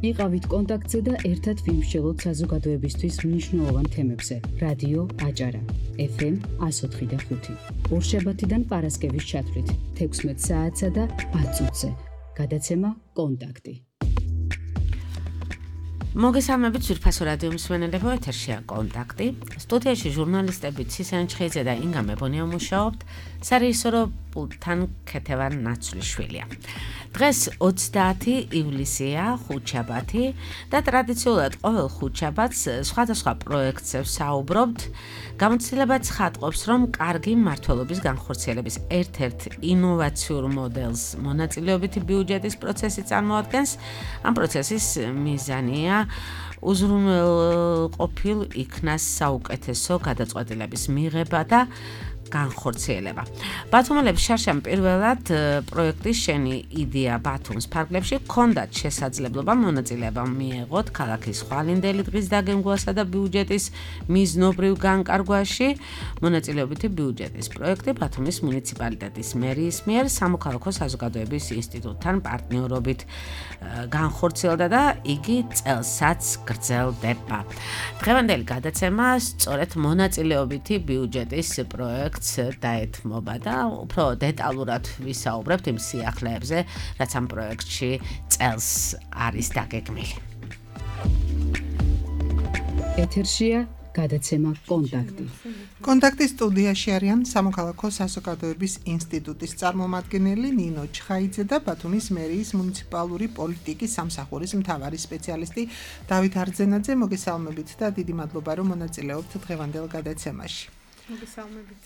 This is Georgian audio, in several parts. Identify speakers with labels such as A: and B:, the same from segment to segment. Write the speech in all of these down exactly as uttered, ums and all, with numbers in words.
A: იყავით კონტაქტზე და ერთად ვიმსჯელოთ საზოგადოებისთვის მნიშვნელოვან თემებზე. რადიო აჭარა, ეფ ემ one oh four point five. ორშაბათიდან პარასკევის ჩათვლით, თექვსმეტ საათსა და ათ წუთზე. გადაცემა კონტაქტი.
B: მოგესალმებით ძვირფასო რადიო მსმენელებო, ეთერშია კონტაქტი. სტუდიაში ჟურნალისტები ცისენ ჩხეიძე და ინგა მებონია მუშაობთ, სარეჟისორო პულტთან ქეთევან ნაცვლიშვილია. დღეს ოცდაათი ივლისია, ხუთშაბათი და ტრადიციულად ყოველ ხუთშაბათს სხვადასხვა პროექტზე ვსაუბრობთ. გამოცდილება ცხადყოფს, რომ კარგი მმართველობის განხორციელების ერთ-ერთ ინოვაციურ მოდელს მონაწილეობითი ბიუჯეტის პროცესი წარმოადგენს. ამ პროცესის მიზანია უზრუნველყოფილ იქნას საუკეთესო გადაწყვეტილების მიღება და განხორციელება. ბათუმელებს შარშან პირველად პროექტის შენი იდეა ბათუმის ფარგლებში ჰქონდათ შესაძლებლობა მონაწილეობა მიეღოთ ქალაქის ხვალინდელი დღის დაგემგვასა და ბიუჯეტის მიზნობრივ განკარგვაში. მონაწილეობითი ბიუჯეტის პროექტი ბათუმის მუნიციპალიტეტის მერიის მიერ სამოქალაქო საზოგადოების ინსტიტუტთან პარტნიორობით განხორციელდა და იგი წელსაც გრძელდება. დღევანდელი გადაცემა სწორედ მონაწილეობითი ბიუჯეტის პროექტ დაეთმობა და უფრო დეტალურად ვისაუბრებთ იმ სიახლეებზე, რაც ამ პროექტში წელს არის დაგეგმილი.
A: ეთერშია გადაცემა კონტაქტი.
C: კონტაქტის სტუდიაში არიან სამოქალაქო საზოგადოების ინსტიტუტის წარმომადგენელი ნინო ჩხაიძე და ბათუმის მერიის მუნიციპალური პოლიტიკის სამსახურის მთავარი სპეციალისტი დავით არძენაძე. მოგესალმებით და დიდი მადლობა, რომ მონაწილეობთ დღევანდელ გადაცემაში.
D: მოგესალმებით.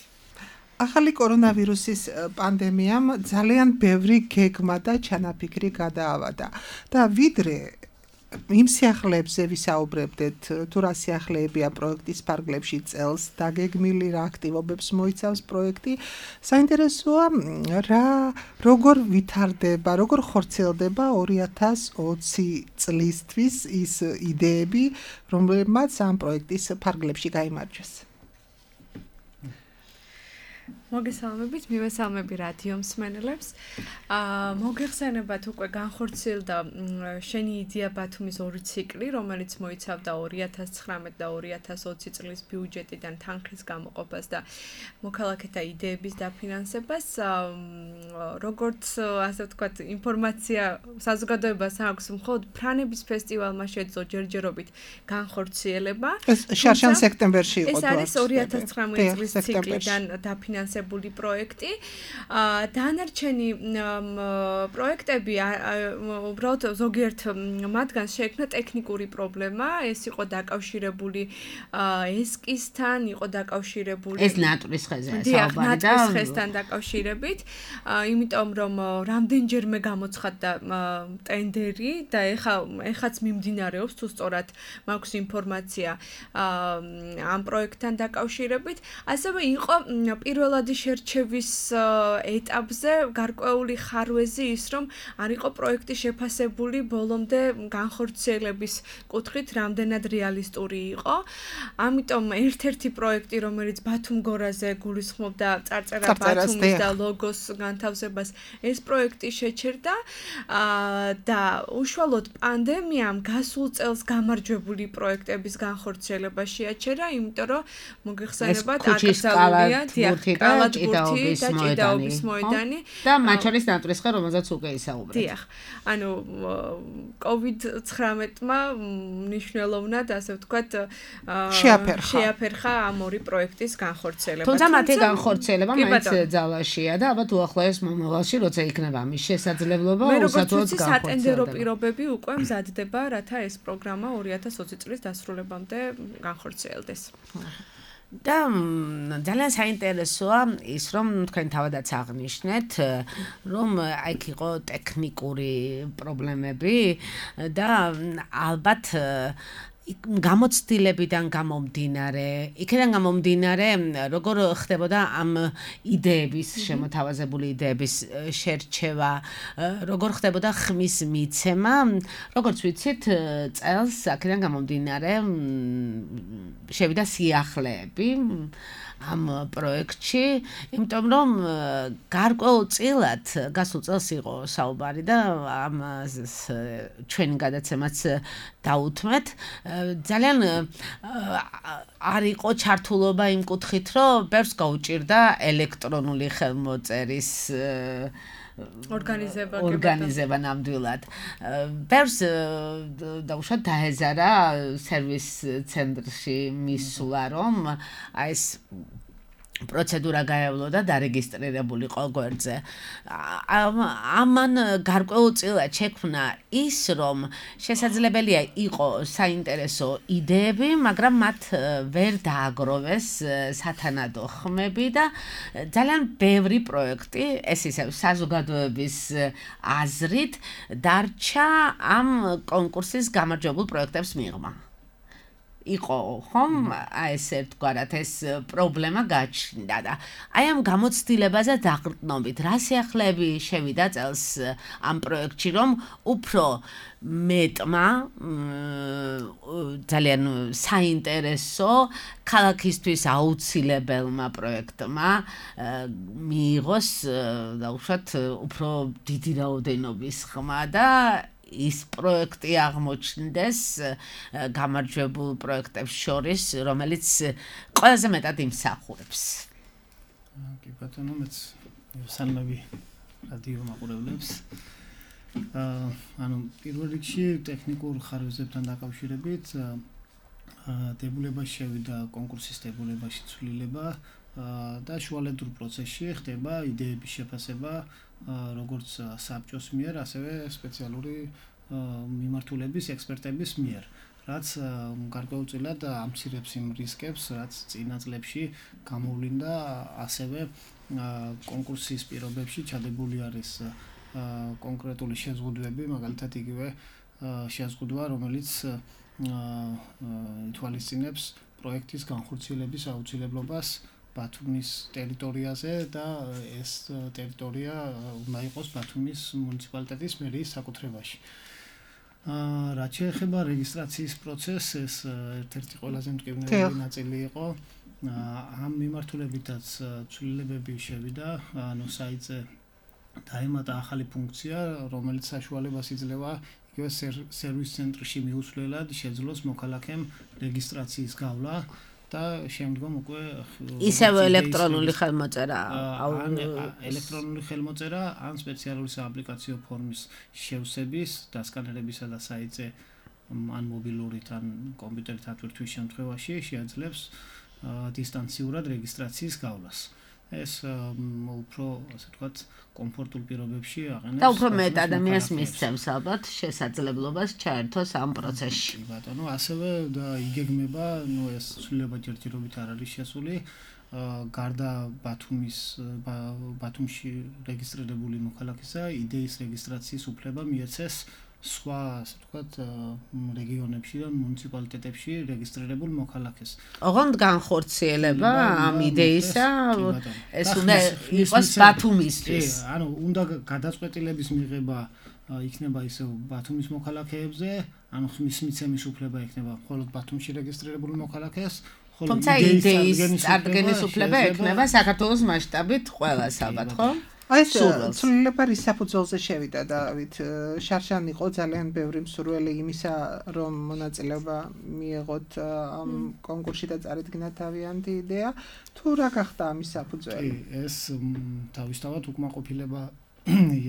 C: ახალი კორონავირუსის პანდემიამ ძალიან ბევრი გეგმა და ჩანაფიქრი გადაავადა და ვიდრე იმ სიახლეებზე ვისაუბრებდეთ, თუ რა სიახლეებია პროექტის ფარგლებში წელს დაგეგმილი, რა აქტივობებს მოიცავს პროექტი, საინტერესოა რა როგორ ვითარდება, როგორ ხორციელდება ორი ათას ოცი წლისთვის ის იდეები, რომლებმაც ამ პროექტის ფარგლებში გაიმარჯვეს.
D: მოგესალმებით, მივესალმები რადიო მსმენელებს. აა მოგეხსენებათ უკვე განხორციელდა შენი იდეა ბათუმის ორი ციკლი, რომელიც მოიცავდა ორი ათას ცხრამეტ და ორი ათას ოცი წლის ბიუჯეტიდან თანხის გამოყოფას და მოქალაქეთა იდეების დაფინანსებას. როგორც ასე ვთქვათ, ინფორმაცია საზოგადოებას აქვს, მხოლოდ ფრანების ფესტივალმა შეძლო ჯერჯერობით განხორციელება.
C: ეს შარშან სექტემბერში იყო.
D: ეს არის ორი ათას ცხრამეტ წლის ციკლიდან დაფინანსებული პროექტი. დანარჩენი პროექტები უბრალოდ ზოგიერთ მათგანს შეექმნა ტექნიკური პრობლემა, ეს იყო დაკავშირებული ესკისთან, იყო დაკავშირებული
B: ეს ნატრის ხეზია საუბარი და
D: ნატრის ხეზთან დაკავშირებით, იმიტომ რომ რამდენჯერმე გამოცხადდა ტენდერი და ეხა ეხაც მიმდინარეობს, თუ სწორად მაქვს ინფორმაცია ამ პროექტთან დაკავშირებით. ასევე იყო პირველადი შერჩევის ეტაპზე გარკვეული ხარვეზი ის, რომ არ იყო პროექტი შეფასებული ბოლომდე განხორციელების კუთხით რამდენად რეალისტური იყო. ამიტომ ერთ-ერთი პროექტი, რომელიც ბათუმგორაზე გულისხმობდა წარწერა ბათუმის და ლოგოს განთავსებას, ეს პროექტი შეჩერდა და უშუალოდ პანდემიამ გასულ წელს გამარჯვებული პროექტების განხორციელება შეაჩერა, იმიტომ რომ მოგეხსენებათ აკრძალულია დიახ ჭიდაობის მოედანი მოედანი
B: და მათ შორის ნატრის ხე, რომელზეც უკვე ისაუბრეთ.
D: დიახ. ანუ კოვიდ ცხრამეტმა მნიშვნელოვნად, ასე ვთქვათ, შეაფერხა ამ ორი პროექტის განხორციელება.
B: თუმცა მათი განხორციელება მაინც ძალაშია და ალბათ უახლოეს მომავალში, როცა იქნება ამის შესაძლებლობა, უსათუოდ განხორციელდება.
D: სატენდერო პირობები უკვე მზადდება, რათა ეს პროგრამა ორი ათას ოცი წლის დასრულებამდე განხორციელდეს.
B: და ძალიან საინტერესოა ის, რომ თქვენ თავადაც აღნიშნეთ, რომ აიქ იყო ტექნიკური პრობლემები და ალბათ გამოცდილებიდან გამომდინარე, იქიდან გამომდინარე, როგორ ხდებოდა ამ იდეების, შემოთავაზებული იდეების შერჩევა, როგორ ხდებოდა ხმის მიცემა, როგორც ვიცით, წელს აქედან გამომდინარე შევიდა სიახლეები, ამ პროექტში, იმიტომ რომ გარკვეულწილად გასულ წელს იყო საუბარი და ამ ჩვენ გადაცემაც დაუთმეთ. ძალიან არ იყო ჩართულობა იმ კუთხით, რომ ბევრს გაუჭირდა ელექტრონული ხელმოწერის
D: ორგანიზება
B: ორგანიზება ნამდვილად. ბევრს დაუშვათ დაეზარა სერვის ცენტრში მისვლა, რომ აი ეს პროცედურა გაევლო და დარეგისტრირებულიყო გვერდზე. ამან გარკვეულწილად შექმნა ის, რომ შესაძლებელია იყო საინტერესო იდეები, მაგრამ მათ ვერ დააგროვეს სათანადო ხმები და ძალიან ბევრი პროექტი, ეს ისევ საზოგადოების აზრით, დარჩა ამ კონკურსის გამარჯვებულ პროექტებს მიღმა. იყო ხომ აი ეს ერთგვარად ეს პრობლემა გაჩნდა და აი ამ გამოცდილებაზე დაყრდნობით რა სიახლეები შევიდა წელს ამ პროექტში, რომ უფრო მეტმა ძალიან საინტერესო ქალაქისთვის აუცილებელმა პროექტმა მიიღოს დაუშვათ უფრო დიდი რაოდენობის ხმა და ის პროექტი აღმოჩნდეს გამარჯვებულ პროექტებს შორის, რომელიც ყველაზე მეტად იმსახურებს.
E: კი ბატონო, მეც სალამები რადიო მაყურებლებს. ანუ პირველ რიგში ტექნიკურ ხარისხებთან დაკავშირებით დებულებაში შევიდა კონკურსის დებულებაში ცვლილება და შუალედურ პროცესში ხდება იდეების შეფასება როგორც საბჭოს მიერ, ასევე სპეციალური მიმართულების ექსპერტების მიერ, რაც გარკვეულწილად ამცირებს იმ რისკებს, რაც წინა წლებში გამოვლინდა, ასევე კონკურსის პირობებში ჩადებული არის კონკრეტული შეზღუდვები, მაგალითად იგივე შეზღუდვა, რომელიც ითვალისწინებს პროექტის განხორციელების აუცილებლობას ბათუმის ტერიტორიაზე და ეს ტერიტორია უნდა იყოს ბათუმის მუნიციპალიტეტის მერიის საკუთრებაში. რაც შეეხება რეგისტრაციის პროცესს, ეს ერთ-ერთი ყველაზე მტკივნეული ნაწილი იყო. ამ მიმართულებითაც ცვლილებები შევიდა, ანუ საიტზე დაემატა ახალი ფუნქცია, რომელიც საშუალებას იძლევა იგივე სერვის ცენტრში მიუცვლელად შეძლოს მოქალაქემ რეგისტრაციის გავლა და შემდგომ უკვე
B: ისევ ელექტრონული ხელმოწერა
E: ელექტრონული ხელმოწერა ან სპეციალური სააპლიკაციო ფორმის შევსების, დასკანერებისა და საიტზე ან მობილურით ან კომპიუტერით ატვირთვის შემთხვევაში შეაძლებს დისტანციურად რეგისტრაციის გავლას. ეს უფრო ასე ვთქვათ კომფორტულ პირობებში აყენებს
B: და უფრო მეტ ადამიანს მისცემს ალბათ შესაძლებლობას ჩაერთოს ამ პროცესში.
E: ბატონო, ასევე და იგეგმება, ნუ ეს ცვლილება ჯერჯერობით არ არის შესული, გარდა ბათუმის ბათუმში რეგისტრირებული მოქალაქისა, იდეის რეგისტრაციის უფლება მიეცეს სხვა, ასე ვთქვათ, რეგიონებში და მუნიციპალიტეტებში რეგისტრირებულ მოქალაქეს.
B: ოღონდ განხორციელება ამ იდეისა ეს უნდა იყოს ბათუმისთვის.
E: ანუ უნდა გადაწყვეტილების მიღება იქნება ისევ ბათუმის მოქალაქეებზე, ანუ ხმის მიცემის უფლება იქნება მხოლოდ ბათუმში რეგისტრირებულ მოქალაქეს,
B: თუმცა იდეის წარდგენის უფლება ექნება საქართველოს მასშტაბით ყველას ალბათ, ხო?
C: აი ეს ცვლილება რის საფუძველზე შევიდა, დავით? შარშან იყო ძალიან ბევრი მსურველი იმისა, რომ მონაწილეობა მიეღოთ ამ კონკურსში და წარიდგინა თავიანთი იდეა, თუ რა გახდა ამის საფუძველი?
E: ეს თავისთავად უკმაყოფილება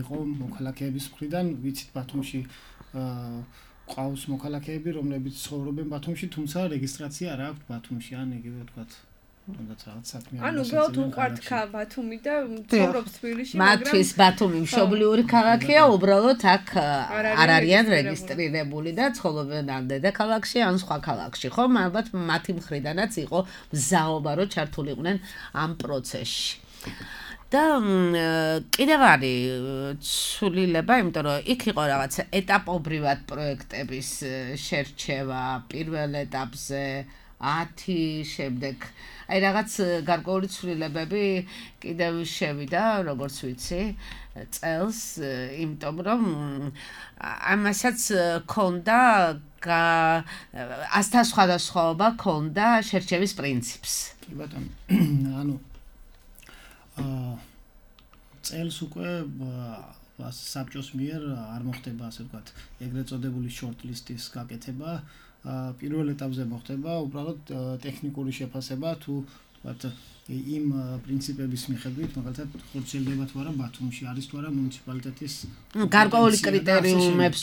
E: იყო მოქალაქეების მხრიდან, ვიცით ბათუმში ყავს მოქალაქეები, რომლებიც ცხოვრობენ ბათუმში, თუმცა რეგისტრაცია არ აქვს ბათუმში, ან იგივე ვთქვათ თუნდაც რაღაც საქმე არის.
D: ანუ გეოთ უყვართ ბათუმი და ცხოვრობს თბილისში, მაგრამ
B: მათთვის ბათუმი მშობლიური ქალაქია, უბრალოდ აქ არ არიან რეგისტრირებული და ცხოვრობენ ან დედაქალაქში, ან სხვა ქალაქში, ხო? ალბათ მათი მხრიდანაც იყო მზაობა, რომ ჩართულიყვნენ ამ პროცესში. და კიდევ არის ცვლილება, იმიტომ რომ იქ იყო რაღაც ეტაპობრივად პროექტების შერჩევა პირველ ეტაპზე ათი შემდეგ აი რაღაც გარკვეული ცვლილებები კიდევ შევიდა, როგორც ვიცი, წელს, იმიტომ რომ ამასაც ქონდა ასთან სხვადასხვაობა ქონდა შერჩევის პრინციპს.
E: კი ბატონო. ანუ აა წელს უკვე საბჭოს მიერ არ მოხდება ასე ვთქვათ, ეგრეთ წოდებული short-list-ის გაკეთება. პირველ ეტაპზე მოხდება უბრალოდ ტექნიკური შეფასება თუ ვთქვათ იმ პრინციპების მიხედვით, მაგალითად, ხორციელდება თუ არა ბათუმში, არის თუ არა მუნიციპალიტეტის
B: გარკვეული კრიტერიუმებს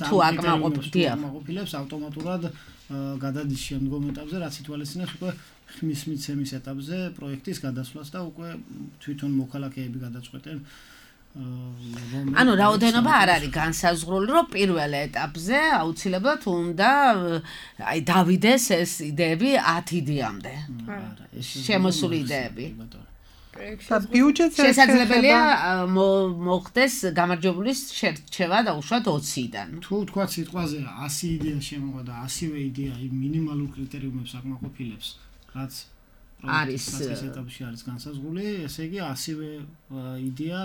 B: თუ
E: აკმაყოფილებს ავტომატურად გადადის შემდგომ ეტაპზე, რაც ითვალისწინებს უკვე ხმის მიცემის ეტაპზე პროექტის გადასვლას და უკვე თვითონ მოქალაქეები გადაწყვეტენ
B: ანუ რაოდენობა არ არის განსაზღვრული, რომ პირველ ეტაპზე აუცილებლად უნდა აი დავიდეს ეს იდეები ათი იდეამდე. შემოსული იდეები.
C: და ბიუჯეტზე
B: შესაძლებელია მოხდეს გამარჯვებული შერჩევა და უშუალოდ ოციდან.
E: თუ თქვა სიტყვაზე ასი იდეა შემოვა და ასივე იდეა იმ მინიმალურ კრიტერიუმებს აკმაყოფილებს, რაც
B: არის
E: ეს ეტაპში არის განსაზღვრული, ესე იგი ასივე იდეა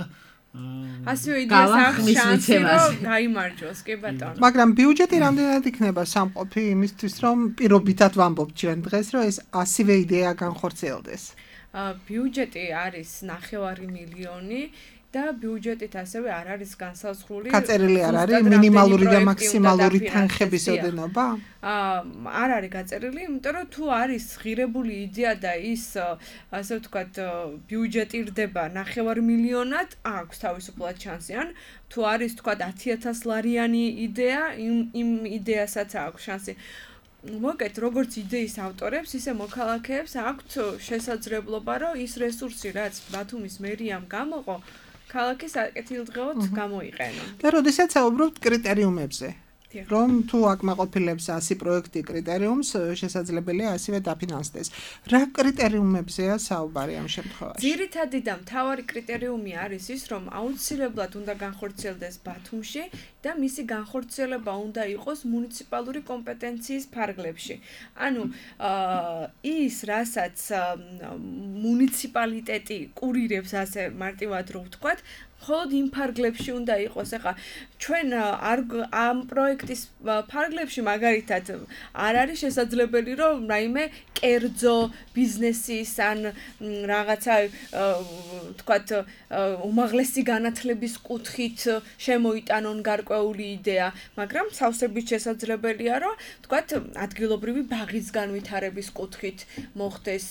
D: ასივე იდეას აქვს შანსი რომ გაიმარჯვოს, კი ბატონო.
C: მაგრამ ბიუჯეტი რამდენად იქნება სამყოფი იმისთვის, რომ პირობითად ვამბობთ ჩვენ დღეს, რომ ეს ასივე იდეა განხორციელდეს?
D: ბიუჯეტი არის ნახევარი მილიონი და ბიუჯეტით ასევე არ არის განსაზღვრული.
C: გაწერილი არ არის მინიმალური და მაქსიმალური თანხების ოდენობა?
D: არ არის გაწერილი, იმიტომ რომ თუ არის ღირებული იდეა და ის ასე ვთქვათ ბიუჯეტირდება ნახევარ მილიონად, აქვს თავისუფლად შანსი. ან თუ არის ვთქვათ ათი ათას ლარიანი იდეა, იმ იმ იდეასაც აქვს შანსი. მოკეთ როგორც იდეის ავტორებს, ისე მოქალაქეებს აქვთ შესაძლებლობა, რომ ის რესურსი, რაც ბათუმის მერიამ გამოყო, ქალაქის აკეთილდღეოდ გამოიყენო.
C: და როდესაც საუბრობთ კრიტერიუმებზე, რომ თუ აკმაყოფილებს ასი პროექტი კრიტერიუმს, შესაძლებელია ასევე დაფინანსდეს. რა კრიტერიუმებზეა საუბარი ამ შემთხვევაში?
D: ძირითადი და მთავარი კრიტერიუმი არის ის, რომ აუცილებლად უნდა განხორციელდეს ბათუმში და მისი განხორციელება უნდა იყოს მუნიციპალური კომპეტენციის ფარგლებში. ანუ ის, რასაც მუნიციპალიტეტი კურირებს, ასე მარტივად რო ვთქვათ, მხოლოდ იმ ფარგლებში უნდა იყოს. ახლა ჩვენ ამ პროექტის ფარგლებში მაგალითად არ არის შესაძლებელი, რომ რაიმე კერძო ბიზნესის ან რაღაცა ვთქვათ უმაღლესი განათლების კუთხით შემოიტანონ გარკვეული იდეა, მაგრამ სავსებით შესაძლებელია, რომ ვთქვათ ადგილობრივი ბაღის განვითარების კუთხით მოხდეს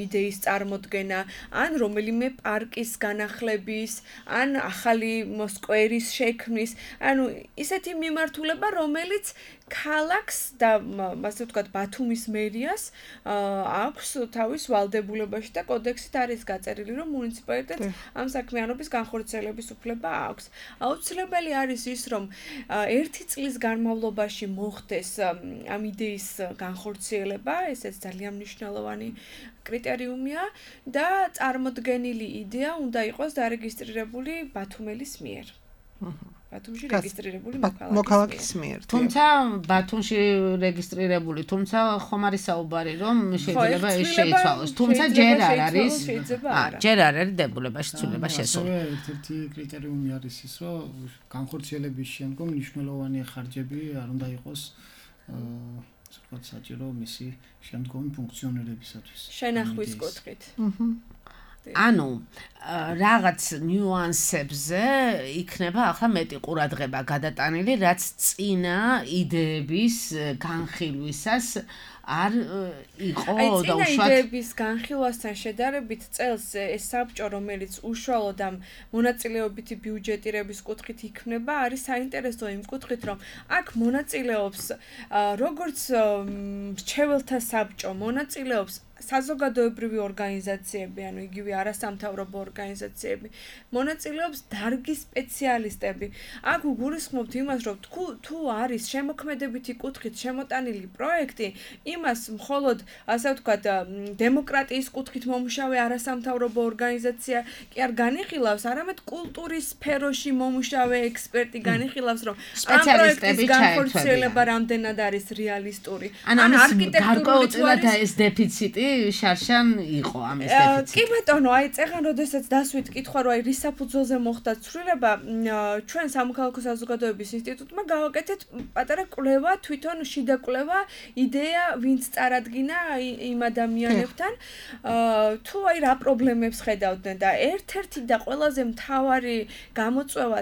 D: იდეის წარმოდგენა, ან რომელიმე პარკის განახლების ან ახალი სკვერის შექმნის, ანუ ისეთი მიმართულება, რომელიც ქალაქს და ასე ვთქვათ ბათუმის მერიას აქვს თავის ვალდებულებაში და კოდექსით არის გაწერილი, რომ მუნიციპალიტეტს ამ საქმიანობის განხორციელების უფლება აქვს. აუცილებელი არის ის, რომ ერთი წლის განმავლობაში მოხდეს ამ იდეის განხორციელება, ესეც ძალიან მნიშვნელოვანი კრიტერიუმია და წარმოდგენილი იდეა უნდა იყოს დარეგისტრირებული ბათუმელის მიერ. ბათუმში რეგისტრირებული
C: მოქალაქის მიერ.
B: თუმცა ბათუმში რეგისტრირებული, თუმცა ხომ არის საუბარი, რომ შეიძლება ეს შეიცვალოს. თუმცა ჯერ არ არის. ჯერ არ არის დებულებაში ცვლილება შესული.
E: ერთ-ერთი კრიტერიუმი არის ის, რომ განხორციელების შემდგომ მნიშვნელოვანი ხარჯები არ უნდა იყოს ვთქვათ საჭირო მისი შემდგომი ფუნქციონირებისათვის.
D: შენახვის კუთხით.
B: ანუ რაღაც ნიუანსებზე იქნება ახლა მეტი ყურადღება გადატანილი, რაც წინა იდეების განხილვისას არ იყო და უშუალოდ
D: იდეების განხილვასთან შედარებით წელს ეს საბჭო, რომელიც უშუალოდ ამ მონაწილეობითი ბიუჯეტირების კუთხით იქმნება, არის საინტერესო იმ კუთხით, რომ აქ მონაწილეობს როგორც მრჩეველთა საბჭო, მონაწილეობს საზოგადოებრივი ორგანიზაციები, ანუ იგივე არასამთავრობო ორგანიზაციები, მონაწილეობს დარგის სპეციალისტები. აქ უგულისხმობთ იმას, რომ თუ არის შემოქმედებითი კუთხით შემოტანილი პროექტი, იმას მხოლოდ, ასე ვთქვათ, დემოკრატიის კუთხით მომუშავე არასამთავრობო ორგანიზაცია კი არ განიხილავს, არამედ კულტურის სფეროში მომუშავე ექსპერტი განიხილავს, რომ ამ პროექტის განხორციელება რამდენად არის რეალისტური.
B: ან არქიტექტურული თუ არის ეს დეფიციტი შარშან იყო ამის დეფიციტი.
D: კი ბატონო, აი წეგან როდესაც დასვით კითხვა რომ აი რის საფუძველზე მოხდა ცვლილება, ჩვენ სამოქალაქო საზოგადოების ინსტიტუტმა გავაკეთეთ პატარა კვლევა, თვითონ შიდა კვლევა, იდეა ვინც წარადგინა იმ ადამიანებთან, თუ აი რა პრობლემებს ხედავდნენ და ერთ-ერთი და ყველაზე მთავარი გამოწვევა,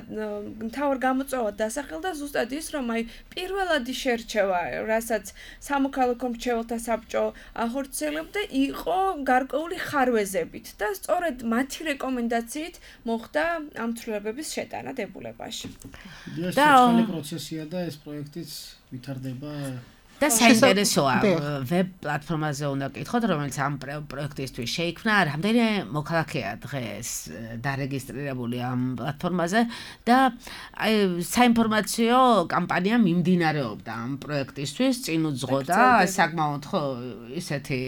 D: მთავარ გამოწვევად დასახელდა ზუსტად ის, რომ აი პირველადი შერჩევა, რასაც სამოქალაქო მრჩეველთა საბჭო ახორციელებდა, იყო გარკვეული ხარვეზებით და სწორედ მათი რეკომენდაციით მოხდა ამ ცვლილებების შეტანა დებულებაში.
E: და ეს პროცესია და ეს პროექტიც ვითარდება
B: და საინტერესოა ვებ პლატფორმაზე უნდა გკითხოთ, რომელიც ამ პროექტისთვის შეიქმნა, რამდენი მოქალაქეა დღეს დარეგისტრირებული ამ პლატფორმაზე და აი საინფორმაციო კამპანია მიმდინარეობდა ამ პროექტისთვის, წინ უძღოდა საკმაოდ ხო ისეთი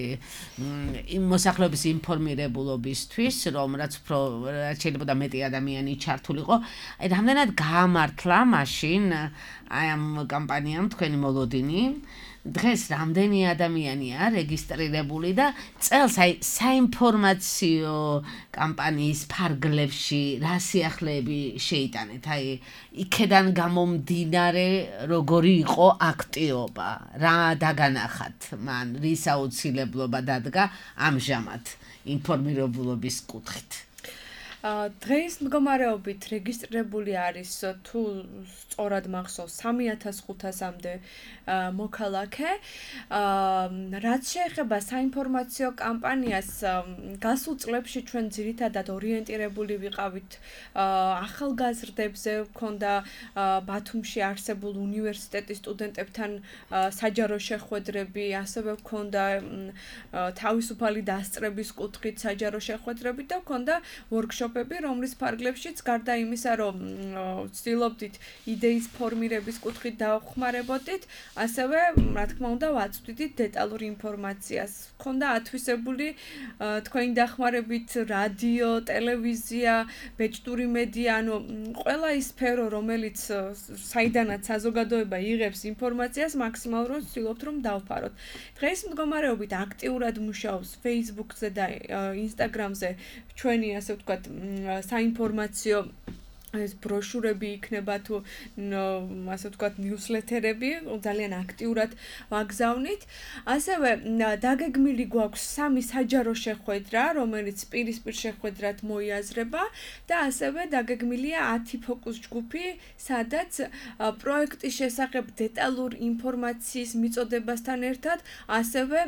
B: მოსახლეობის ინფორმირებულობისთვის, რომ რაც უფრო შეიძლება მეტი ადამიანი ჩართულიყო, აი რამდენად გაამართლა მაშინ აი ამ კამპანიამ თქვენი მოლოდინი დღეს რამდენი ადამიანია რეგისტრირებული და წელს აი საინფორმაციო კამპანიის ფარგლებში რა სიახლეები შეიტანეთ? აი იქედან გამომდინარე როგორი იყო აქტიობა, რა დაგანახათ მან, რის აუცილებლობა დადგა ამჟამად ინფორმირებულობის კუთხით?
D: დღეს მდგომარეობით რეგისტრირებული არის თუ სწორად მახსოვს სამი ათას ხუთასამდე მოქალაქე. რაც შეეხება საინფორმაციო კამპანიას, გასულ წლებში ჩვენ ძირითადად ორიენტირებული ვიყავით ახალგაზრდებზე, ვქონდა ბათუმში არსებულ უნივერსიტეტის სტუდენტებთან საჯარო შეხვედრები, ასევე ვქონდა თავისუფალი დასწრების კუთხით საჯარო შეხვედრები და ვქონდა ვორქშოპები, რომლის ფარგლებშიც გარდა იმისა, რომ ვცდილობდით იდეის ფორმირების კუთხით დავხმარებოდით, ასევე, რა თქმა უნდა, ვაწვდით დეტალურ ინფორმაციას. Ქონდა ათვისებული თქვენი დახმარებით რადიო, ტელევიზია, ბეჭდური მედია, ანუ ყველა ის სფერო, რომელიც საიდანაც საზოგადოება იღებს ინფორმაციას, მაქსიმალურად ვცდილობთ რომ დავფაროთ. დღეს მდგომარეობით აქტიურად მუშაობს Facebook-ზე და Instagram-ზე ჩვენი, ასე ვთქვათ, საინფორმაციო ეს ბროშურები იქნება თუ ასე ვთქვათ ნიუსლეთერები ძალიან აქტიურად ვაგზავნით. ასევე დაგეგმილი გვაქვს სამი საჯარო შეხვედრა, რომელიც პირისპირ შეხვედრად მოიაზრება და ასევე დაგეგმილია ათი ფოკუს ჯგუფი, სადაც პროექტის შესახებ დეტალურ ინფორმაციის მიწოდებასთან ერთად ასევე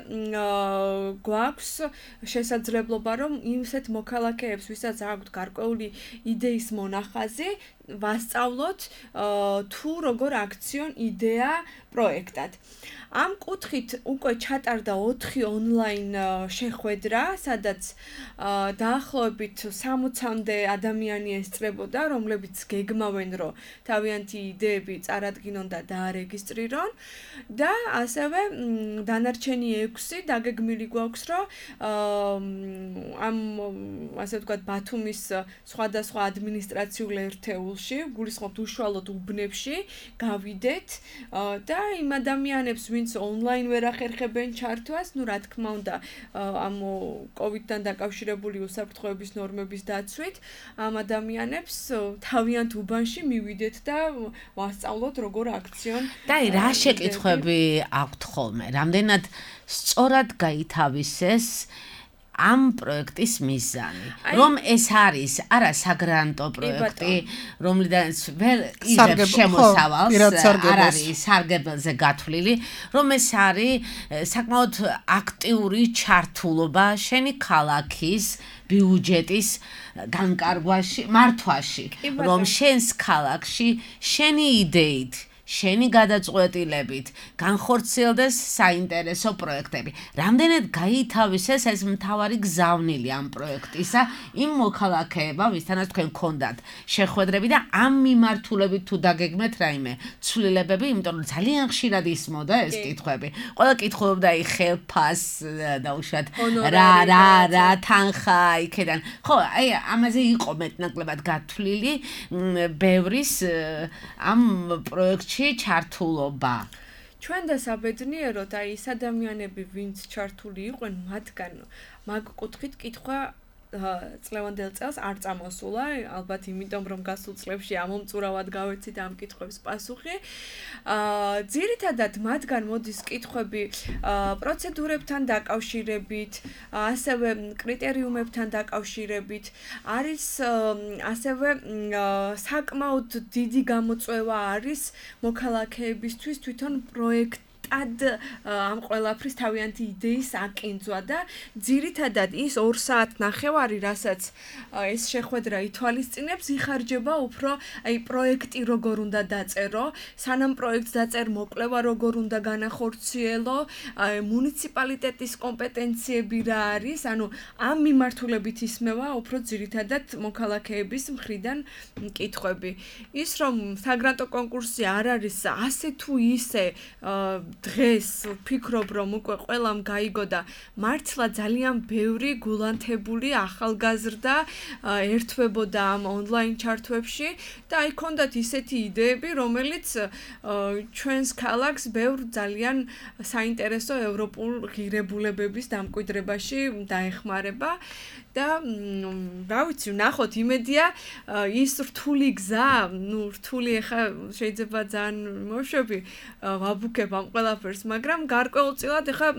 D: გვაქვს შესაძლებლობა, რომ ისეთ მოქალაქეებს, ვისაც აქვთ გარკვეული იდეის მონახაზი, ვასწავლოთ თუ როგორ აქციონ იდეა პროექტად. ამ კუთხით უკვე ჩატარდა ოთხი ონლაინ შეხვედრა, სადაც დაახლოებით სამოცამდე ადამიანი ესწრებოდა, რომლებიც გეგმავენ, რომ თავიანთი იდეები წარადგინონ და დაარეგისტრირონ და ასევე დანარჩენი ექვსი დაგეგმილი გვაქვს, რომ ამ ასე ვთქვათ ბათუმის სხვადასხვა ადმინისტრაციულ ერთეულში, გულისხმობთ უშუალოდ უბნებში, გავიდეთ და იმ ადამიანებს, ვინც ონლაინ ვერ ახერხებენ ჩართვას, ну, რა თქმა უნდა, ამ კოვიდთან დაკავშირებული უსაფრთხოების ნორმების დაცვით, ამ ადამიანებს თავიანთ უბანში მივიდეთ და ვასწავლოთ როგორ აქციონ.
B: და რა შეკითხვები აქვთ ხოლმე? რამდენად სწორად გაითავისეს ამ პროექტის მიზანი, რომ ეს არის არა საგრანტო პროექტი, რომლიდანაც ვერ იღებს შემოსავალს, არ არის სარგებელზე გათვლილი, რომ ეს არის საკმაოდ აქტიური ჩართულობა შენი ქალაქის ბიუჯეტის განკარგვაში, მართვაში, რომ შენს ქალაქში შენი იდეით შენი გადაწყვეტილებით განხორციელდეს საინტერესო პროექტები. რამდენად გაითავისეს ეს მთავარი გზავნილი ამ პროექტისა იმ მოქალაქეებმა, ვისთანაც თქვენ გქონდათ შეხვედრები და ამ მიმართულებით თუ დაგეგმეთ რაიმე ცვლილებები, იმიტომ რომ ძალიან ხშირად ისმოდა ეს კითხვები. ყველა კითხულობდა აი ხელფას და უშუალოდ რა რა რა თანხა იქიდან. ხო, აი ამაზე იყო მეტნაკლებად გათვლილი ბევრის ამ პროექტში ჩართულობა.
D: ჩვენ და საბედნიეროდ აი ეს ადამიანები ვინც ჩართული იყვნენ მათგან მაგ კუთხით კითხვა წლევანდელ წელს არ წამოსულა ალბათ იმიტომ რომ გასულ წლებში ამომწურავად გავეცით ამ კითხვების პასუხი აა ძირითადად მათგან მოდის კითხვები პროცედურებთან დაკავშირებით ასევე კრიტერიუმებთან დაკავშირებით არის ასევე საკმაოდ დიდი გამოწვევა არის მოქალაქეებისთვის თვითონ პროექტ ad am ყველაფრის თავიანთი იდეის აკინძვა და ძირითადად ის ორ საათ ნახევარი, რასაც ეს შეხვედრა ითვალისწინებს, იხარჯება უფრო აი პროექტი როგორ უნდა დაწერო, სანამ პროექტს დაწერ მოკვლევა როგორ უნდა განახორციელო, მუნიციპალიტეტის კომპეტენციები რა არის, ანუ ამ მიმართულებით ისმევა უფრო ძირითადად მოქალაქეების მხრიდან კითხვები. ის რომ საგრანტო კონკურსი არ არის ასე თუ ისე დღეს ვფიქრობ რომ უკვე ყველამ გაიგო და მართლა ძალიან ბევრი გულანთებული ახალგაზრდა ერთვებოდა ამ ონლაინ ჩართვებში და აი ქონდათ ისეთი იდეები რომელიც ჩვენს ქალაქს ბევრ ძალიან საინტერესო ევროპულ ღირებულებების დამკვიდრებაში დაეხმარება და რა ვიცი ნახოთ იმედია ის რთული გზა ნუ რთული ახლა შეიძლება ძალიან მოშვები ვაბუქებ ამ ყველაფერს მაგრამ გარკვეულწილად ახლა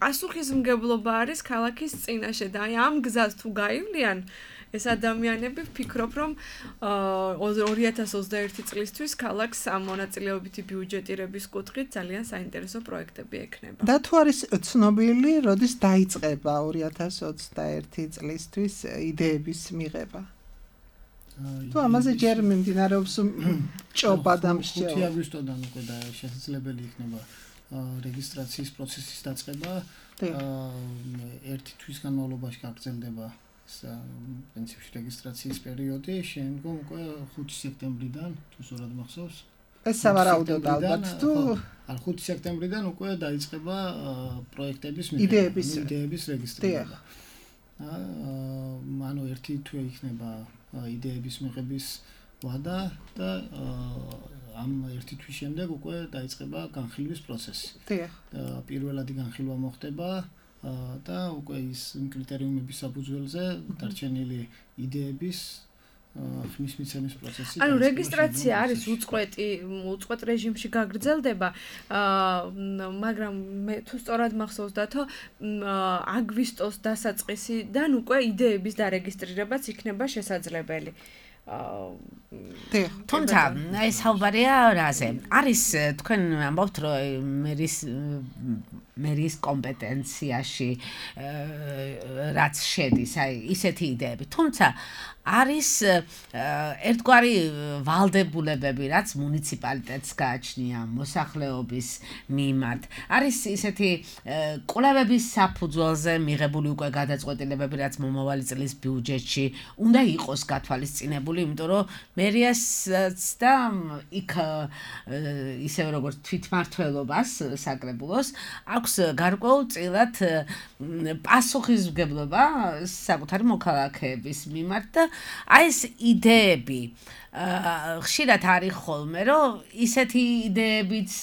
D: პასუხისმგებლობა არის ქალაქის წინაშე და აი ამ გზას თუ გაივლიან ეს ადამიანები ვფიქრობ რომ ორი ათას ოცდაერთი წლისთვის ქალაქს ამ მონაწილეობითი ბიუჯეტირების კუთხით ძალიან საინტერესო პროექტები ექნება.
C: და თუ არის ცნობილი, როდის დაიწყება ორი ათას ოცდაერთი წლისთვის იდეების მიღება? თუ ამაზე ჯერ მიმდინარეობს ჭობა და მსჯელობა.
E: ხუთი აგვისტოდან უკვე და შესაძლებელი იქნება რეგისტრაციის პროცესის დაწყება. ერთი თვის განმავლობაში გაგრძელდება პრინციპში რეგისტრაციის პერიოდი, შემდგომ უკვე ხუთი სექტემბრიდან, თუ სწორად მახსოვს.
C: ეს სავარაუდოდ ალბათ თუ
E: არ ხუთი სექტემბრიდან უკვე დაიწყება პროექტების
C: იდეების
E: იდეების რეგისტრირება. ანუ ერთი თვე იქნება იდეების მიღების ვადა და ამ ერთი თვის შემდეგ უკვე დაიწყება განხილვის პროცესი.
C: დიახ.
E: პირველადი განხილვა მოხდება და უკვე ის კრიტერიუმების საფუძველზე დარჩენილი იდეების ხმის მიცემის პროცესი.
D: ანუ რეგისტრაცია არის უწყვეტი, უწყვეტ რეჟიმში გაგრძელდება, მაგრამ მე თუ სწორად მახსოვს დათო, აგვისტოს დასაწყისიდან უკვე იდეების დარეგისტრირებაც იქნება შესაძლებელი.
B: თუმცა ეს საუბარია რაზე? არის თქვენ ამბობთ რომ მერის მერის კომპეტენციაში რაც შედის, აი ისეთი იდეები. თუმცა არის ერთგვარი ვალდებულებები, რაც მუნიციპალიტეტს გააჩნია მოსახლეობის მიმართ. არის ისეთი კვლევების საფუძველზე მიღებული უკვე გადაწყვეტილებები, რაც მომავალი წლის ბიუჯეტში უნდა იყოს გათვალისწინებული, იმიტომ რომ მერიასაც და იქ ისევე როგორც თვითმმართველობას საკრებულოს აქვს გარკვეულწილად პასუხისმგებლობა საკუთარი მოქალაქეების მიმართ და აი ეს იდეები ხშირად არის ხოლმე რომ ისეთი იდეებიც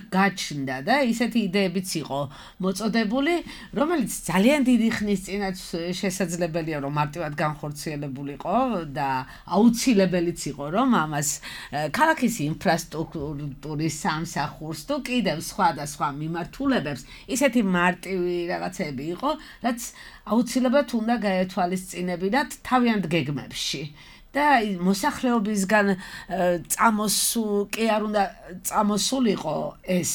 B: გაჩნდა და ისეთი იდეებიც იყო მოწოდებული რომელიც ძალიან დიდი ხნის წინაც შესაძლებელია რომ მარტივად განხორციელებულიყო და აუცილებელიც იყო რომ ამას ქალაქის ინფრასტრუქტურის სამსახურს თუ კიდევ სხვა და სხვა მიმართულებებს ისეთი მარტივი რაღაცები იყო რაც აუცილებლად უნდა გაეთვალისწინებინათ თავიანთ გეგმებში. და მოსახლეობისგან წამოსულ კი არ უნდა წამოსულიყო ეს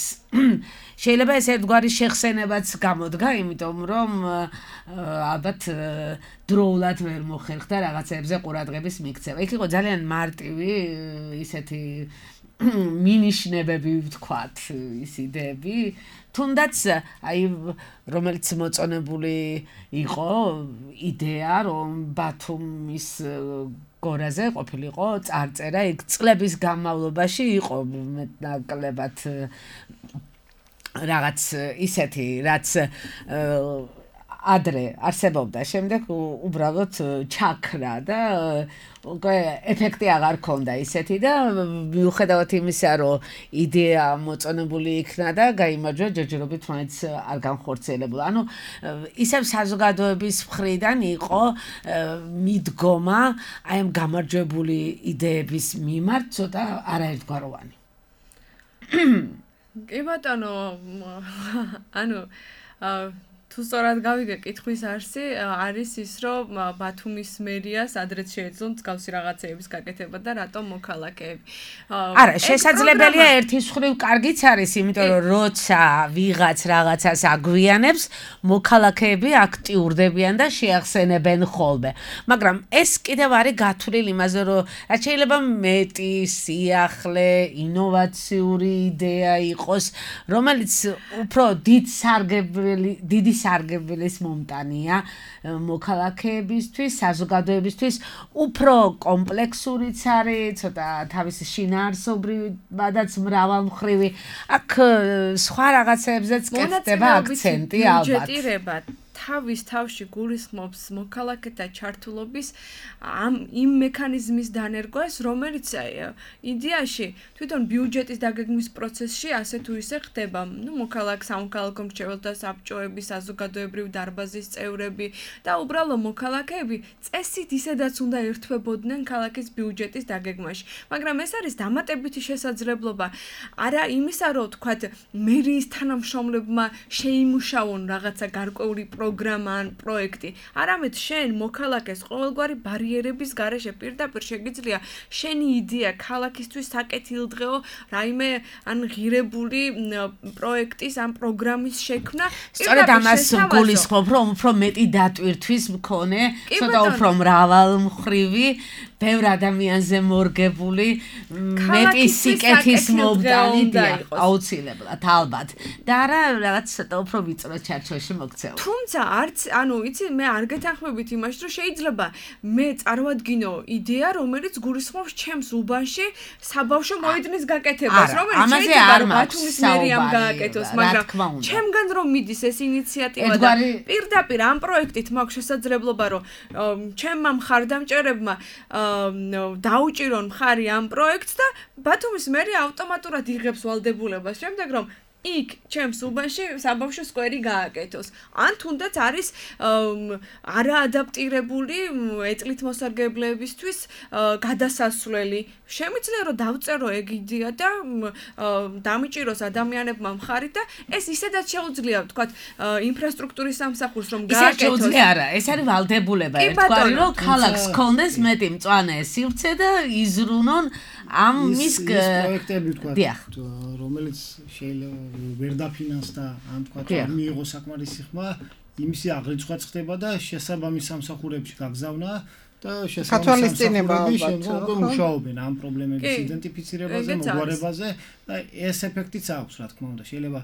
B: შეიძლება ეს ერთგვარი შეხსენებაც გამოდგა იმიტომ რომ ალბათ დროულად ვერ მოხერხდა რაღაცებზე ყურადღების მიქცევა. იქ იყო ძალიან მარტივი ისეთი მინიშნებები ვთქვათ ის იდეები თუნდაც აი რომელიც მოწონებული იყო იდეა რომ ბათუმის გორაზე ყოფილიყო წარწერა იქ წლების განმავლობაში იყო მეტნაკლებად რაღაც ისეთი რაც ადრე არსებობდა, შემდეგ უბრალოდ ჩაქრა და უკვე ეფექტი აღარ ქონდა ისეთი და მიუხედავად იმისა, რომ იდეა მოწონებული იქნა და გაიმარჯვა ჯერჯერობით მაინც არ განხორციელებულა. ანუ ისევ საზოგადოების მხრიდან იყო მიდგომა აი ამ გამარჯვებული იდეების მიმართ ცოტა არაერთგვაროვანი.
D: კი ბატონო, ანუ თუ სწორად გავიგე კითხვის არსი, არის ის, რომ ბათუმის მერიას ადრეც შეეძლო მსგავსი რაღაცეების გაკეთება და რატომ მოქალაქეები.
B: არა, შესაძლებელია ერთის მხრივ კარგიც არის, იმიტომ რომ როცა ვიღაც რაღაცას აგვიანებს, მოქალაქეები აქტიურდებიან და შეახსენებენ ხოლმე. მაგრამ ეს კიდევ არის გათვლილი იმაზე, რომ რაც შეიძლება მეტი, სიახლე, ინოვაციური იდეა იყოს, რომელიც უფრო დიდ სარგებელი, დიდი სარგებლის მომტანია მოქალაქეებისთვის, საზოგადოებისთვის, უფრო კომპლექსურიც არის, ცოტა თავისი შინაარსობრივადაც მრავალმხრივი. აქ სხვა რაღაცებზეც კეთდება აქცენტი ალბათ.
D: თავის თავში გულისხმობს მოქალაქეთა ჩართულობის ამ იმ მექანიზმის დანერგვას, რომელიც იდეაში თვითონ ბიუჯეტის დაგეგმვის პროცესში ასე თუ ისე ხდება. ნუ მოქალაქე სამოქალაქო მრჩეველთა საბჭოების, საზოგადოებრივ დარბაზის წევრები და უბრალო მოქალაქეები წესით ისედაც უნდა ერთვებოდნენ ქალაქის ბიუჯეტის დაგეგმაში. მაგრამ ეს არის დამატებითი შესაძლებლობა. არა იმისა, რომ თქვათ მერიის თანამშრომლებმა შეიმუშაონ რაღაცა გარკვეული პროგრამა ან პროექტი. არამედ შენ მოქალაქეს ყოველგვარი ბარიერების გარეშე პირდაპირ შეგიძლია შენი იდეა ქალაქისთვის საკეთილდღეო რაიმე ან ღირებული პროექტის ან პროგრამის შექმნა.
B: სწორედ ამას გულისხმობ, რომ უფრო მეტი დატვირთვის მქონე, ცოტა უფრო მრავალმხრივი, ბევრ ადამიანზე მორგებული, მეტი სიკეთის მომდანი აუცილებლად, ალბათ. და არა რაღაც ცოტა უფრო ვიწრო ჩარჩოში მოქცევა.
D: თუმცა არც, ანუ იცი, მე არ გეთანხმებით იმაში, რომ შეიძლება მე წარმოვადგინო იდეა, რომელიც გულისხმობს ჩემს უბანში საბავშვო მოედნის გაკეთებას, რომელიც შეიძლება რომ ბათუმის მერიამ გააკეთოს, მაგრამ ჩემგან რომ მიდის ეს ინიციატივა და პირდაპირ ამ პროექტით მაქვს შესაძლებლობა, რომ ჩემმა მხარდამჭერებმა დაუჭირონ მხარი ამ პროექტს და ბათუმის მერია ავტომატურად იღებს ვალდებულებას, შემდეგ რომ იქ ჩემს უბანში საბავშვო სკვერი გააკეთოს. ან თუნდაც არის არაადაპტირებული ეწლით მოსარგებლეებისთვის გადასასვლელი. შემიძლია რომ დავწერო ეგ იდეა და დამიჭიროს ადამიანებმა მხარი და ეს ისედაც შეუძლია ვთქვათ ინფრასტრუქტურის სამსახურს რომ გააკეთოს.
B: ისე შეუძლია არა, ეს არის ვალდებულება ერთგვარი რომ ქალაქს კონდეს მეტი მწვანე სივრცე და იზრუნონ ამ მის
E: პროექტები ვთქვათ, რომელიც შეიძლება ვერ დაფინანსდა, ან თქვა რომ მიიღო საკმარისი ხმა, იმისი აღრიცხვა ხდება და შესაბამის სამსახურებში გაგზავნა და შესაბამის სამსახურებში შემდგომ მუშაობენ ამ პრობლემების იდენტიფიცირებაზე, მოგვარებაზე და ეს ეფექტიც აქვს, რა თქმა უნდა, შეიძლება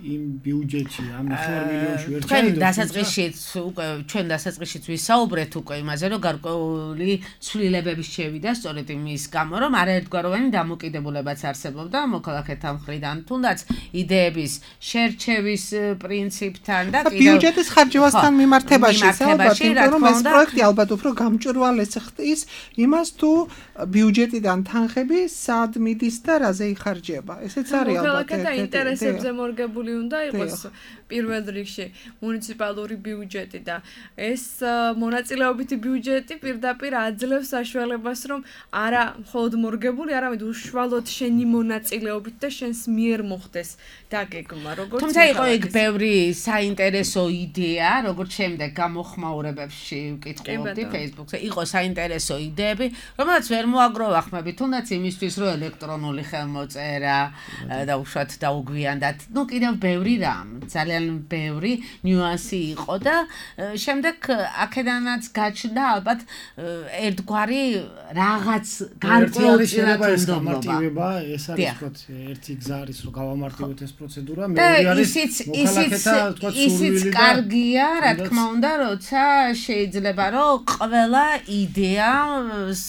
E: იმ ბიუჯეტში ამ ნახევარ მილიონში ვერ ჩაიდოს.
B: ჩვენ დასაწყისშიც უკვე ჩვენ დასაწყისშიც ვისაუბრეთ უკვე იმაზე, რომ გარკვეული ცვლილებების შევიდა სწორედ იმის გამო, რომ არაერთგვაროვანი დამოკიდებულებაც არსებობდა მოქალაქეთა მხრიდან, თუნდაც იდეების შერჩევის პრინციპთან და
C: კიდევ ბიუჯეტის ხარჯვასთან მიმართებაში, ალბათ, იმიტომ რომ ეს პროექტი ალბათ უფრო გამჭვირვალეს ხდის იმას, თუ ბიუჯეტიდან თანხები სად მიდის და რაზე იხარჯება. ესეც არის ალბათ.
D: მოქალაქეთა ინტერესებზე მორგებული უნდა იყოს პირველ რიგში მუნიციპალური ბიუჯეტი და ეს მონაწილეობითი ბიუჯეტი პირდაპირ აძლევს საშუალებას, რომ არა მხოლოდ მორგებული, არამედ უშუალოდ შენი მონაწილეობით და შენს მიერ მოხდეს დაგეგმა, როგორც
B: თუმცა იყო იქ ბევრი საინტერესო იდეა, როგორც შემდეგ გამოხმაურებებში ვკითხულობდი Facebook-ზე, იყო საინტერესო იდეები, რომელსაც ვერ მოაგროვა ხმები, თუნდაც იმისთვის, რომ ელექტრონული ხელმოწერა და უშუალოდ დაუგვიანდათ. ნუ კიდევ ბევრი რამ, ძალიან ბევრი ნიუანსი იყო და შემდეგ აქედანაც გაჩნდა ალბათ ერთგვარი რაღაც გარკვეული
E: გამარტივება, ეს არის თქო ერთი გზა არის რომ გავამარტივოთ ეს პროცედურა, მეორე არის
B: მოქალაქეთა თქო ისიც კარგია, რა თქმა უნდა, როცა შეიძლება რომ ყველა იდეას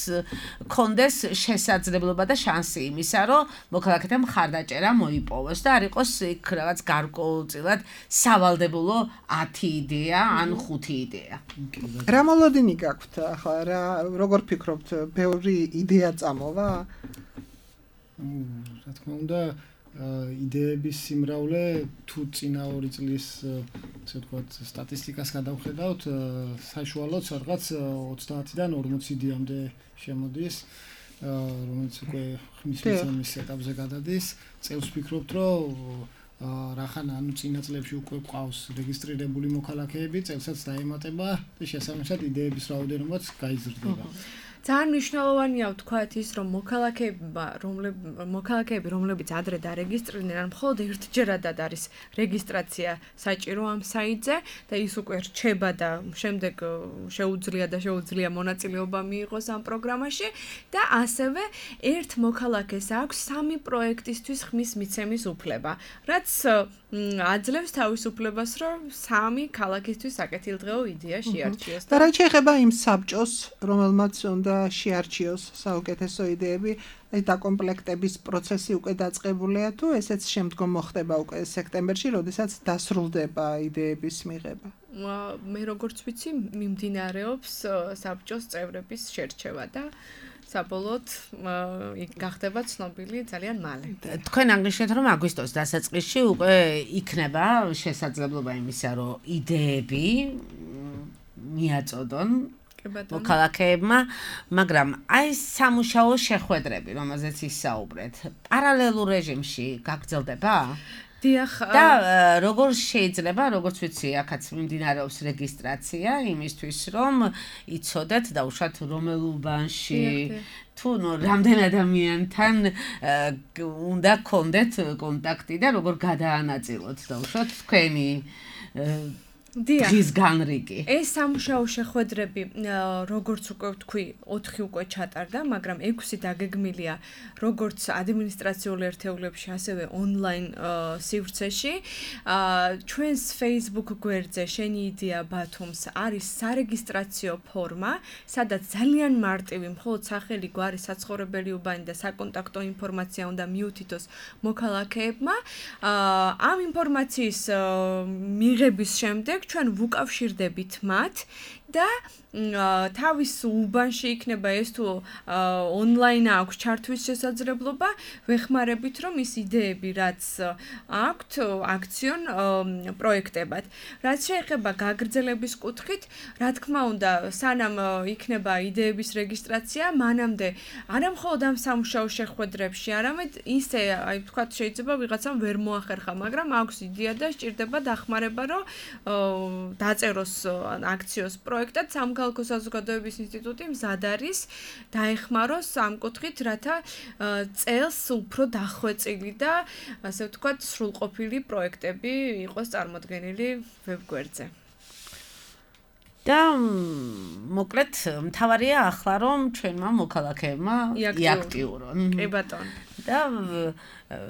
B: კონდეს შესაძლებლობა და შანსი იმისა, რომ მოქალაქეთა მხარდაჭერა მოიპოვოს და არ იყოს იქ რაღაც გარკვეულწილად სავალდებულო ათი იდეა ან ხუთი იდეა.
C: რა მოლოდინი გაქვთ ახლა რა როგორ ფიქრობთ ბევრი იდეა წამოვა?
E: რა თქმა უნდა იდეების სიმრავლე თუ წინა ორი წლის ასე ვთქვათ სტატისტიკას გადავხედავთ საშუალოდ რაღაც ოცდაათიდან ორმოცი იდეამდე შემოდის რომელიც უკვე ხმის მიცემის ეტაპზე გადადის წელს ვფიქრობთ რომ რახან ანუ წინა წლებში უკვე ყავს რეგისტრირებული მოქალაქეები წელსაც დაემატება და შესაბამისად იდეების რაოდენობაც გაიზრდება.
D: ძალიან მნიშვნელოვანია ვთქვათ ის რომ მოქალაქეებმა მოქალაქეები რომლებიც ადრე დარეგისტრირდნენ ან მხოლოდ ერთჯერადად არის რეგისტრაცია საჭირო ამ საიტზე და ის უკვე რჩება და შემდეგ შეუძლია და შეუძლია მონაწილეობა მიიღოს ამ პროგრამაში და ასევე ერთ მოქალაქეს აქვს სამი პროექტისთვის ხმის მიცემის უფლება რაც აძლევს თავისუფლებას რომ სამი ქალაქისთვის საკეთილდღეო იდეა შეარჩიოს
C: და რა შეიძლება იმ საბჭოს რომელმაც უნდა შეარჩიოს საუკეთესო იდეები ეს დაკომპლექტების პროცესი უკვე დაწყებულია თუ ესეც შემდგომ მოხდება უკვე სექტემბერში როდესაც დასრულდება იდეების მიღება
D: მე როგორც ვიცი მიმდინარეობს საბჭოს წევრების შერჩევა და საბოლოოდ იქ გახდება ცნობილი ძალიან მალე.
B: თქვენ აღნიშნეთ რომ აგვისტოს დასაწყისში უკვე იქნება შესაძლებლობა იმისა რომ იდეები მიაწოდონ მოქალაქეებმა, მაგრამ აი სამუშაო შეხვედრები, რომელზეც ისაუბრეთ, პარალელურ რეჟიმში გაგრძელდება?
D: დიახ
B: და როგორ შეიძლება, როგორც ვიცი, აქაც მიმდინარეობს რეგისტრაცია იმისთვის, რომ იცოდეთ და უშოთ რომელ უბანში თუ რამდენ ადამიანთან უნდა გქონდეთ კონტაქტი და როგორ გადაანაწილოთ და უშოთ თქვენი ის განრიგი.
D: ეს სამუშაო შეხვედრები, როგორც უკვე ვთქვი, ოთხი უკვე ჩატარდა, მაგრამ ექვსი დაგეგმილია როგორც ადმინისტრაციულ ერთეულებში, ასევე ონლაინ სივრცეში. ჩვენს Facebook გვერდზე შენი იდეა ბათუმს არის სარეგისტრაციო ფორმა, სადაც ძალიან მარტივი, მხოლოდ სახელი, გვარი, საცხოვრებელი უბანი და საკონტაქტო ინფორმაცია უნდა მიუთითოს მოქალაქეებმა. ამ ინფორმაციის მიღების შემდეგ ჩვენ ვუკავშირდებით მათ და თავის უბანში იქნება ეს თუ ონლაინ აქვს ჩართვის შესაძლებლობა, ვეხმარებით რომ ის იდეები რაც აქვთ აქციონ პროექტებად. რაც შეეხება გაგრძელების კუთხით, რა თქმა უნდა, სანამ იქნება იდეების რეგისტრაცია, მანამდე არა მხოლოდ ამ სამუშაო შეხვედრებში, არამედ ისე, აი ვთქვათ, შეიძლება ვიღაცამ ვერ მოახერხა, მაგრამ აქვს იდეა და სჭირდება დახმარება, რომ დაწეროს აქციოს პროექტად სამოქალაქო საზოგადოების ინსტიტუტი მზად არის დაეხმაროს ამ კუთხით, რათა წელს უფრო დახვეწილი და ასე ვთქვათ, სრულყოფილი პროექტები იყოს წარმოდგენილი ვებგვერდზე.
B: და მოკლედ მთავარია ახლა რომ ჩვენმა მოქალაქეებმა იაქტიურონ.
D: კი ბატონო.
B: და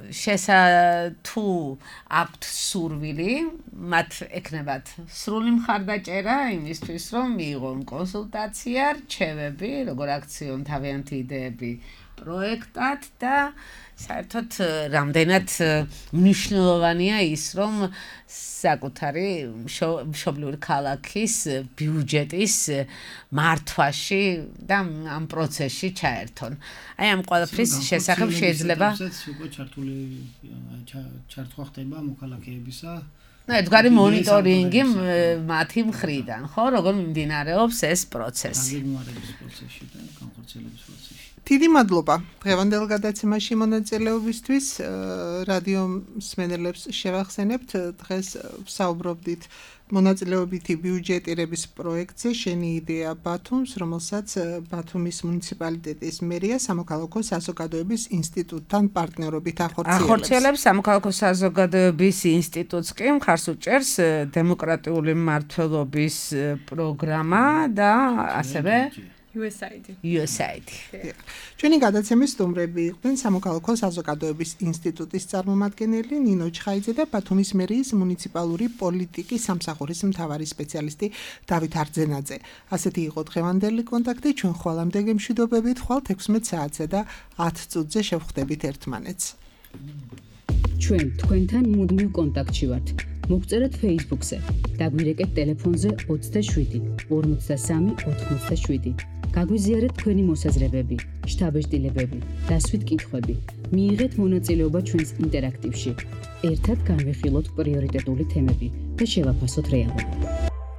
B: შესა თუ აქვთ სურვილი, მათ ეკნებათ სრული მხარდაჭერა იმისთვის, რომ მიიღონ კონსულტაცია, რჩევები, როგორ აქციონ თავიანთი იდეები პროექტად და საერთოდ რამდენად მნიშვნელოვანია ის, რომ საკუთარი მშობლიური ქალაქის ბიუჯეტის მართვაში და ამ პროცესში ჩაერთონ. აი ამ ყველაფრის შესახებ შეიძლება
E: უკვე ჩართული ჩართვა ხდება მოქალაქეებისა.
B: და ედგარი მონიტორინგი მათი მხრიდან, ხო, როგორ მიმდინარეობს ეს პროცესი.
E: გაგეგმარების პროცესში და განხორციელების პროცესში.
C: დიდი მადლობა დღევანდელ გადაცემაში მონაწილეობისთვის. რადიო მსმენელებს შევახსენებთ, დღეს ვსაუბრობდით მონაწილეობითი ბიუჯეტირების პროექტზე შენი იდეა ბათუმს, რომელსაც ბათუმის მუნიციპალიტეტის მერია სამოქალაქო საზოგადოების ინსტიტუტთან პარტნიორობით ახორციელებს.
B: ახორციელებს სამოქალაქო საზოგადოების ინსტიტუტს კი მხარს უჭერს დემოკრატიული მმართველობის პროგრამა და ასევე
D: იუ ეს აი დი.
B: იუ ეს აი დი.
C: ჩვენი გადაცემის სტუმრები იყვნენ სამოქალაქო საზოგადოების ინსტიტუტის წარმომადგენელი ნინო ჩხაიძე და ბათუმის მერიის მუნიციპალური პოლიტიკის სამსახურის მთავარი სპეციალისტი დავით არძენაძე. ასეთი იყო დღევანდელი კონტაქტი, ჩვენ ხვალამდე გემშვიდობებით, ხვალ ექვსმეტ საათზე და ათ წუთზე შევხვდებით ერთმანეთს.
A: ჩვენ თქვენთან მუდმივ კონტაქტში ვართ. მოგწერეთ Facebook-ზე, დაგვირეკეთ ტელეფონზე ოცდაშვიდი ორმოცდასამი ოთხმოცდაშვიდი. გაგვიზიარეთ თქვენი მოსაზრებები, შთაბეჭდილებები, დასვით კითხვები. მიიღეთ მონაწილეობა ჩვენს ინტერაქტივში. ერთად განვიხილოთ პრიორიტეტული თემები და შევაფასოთ რეალობა.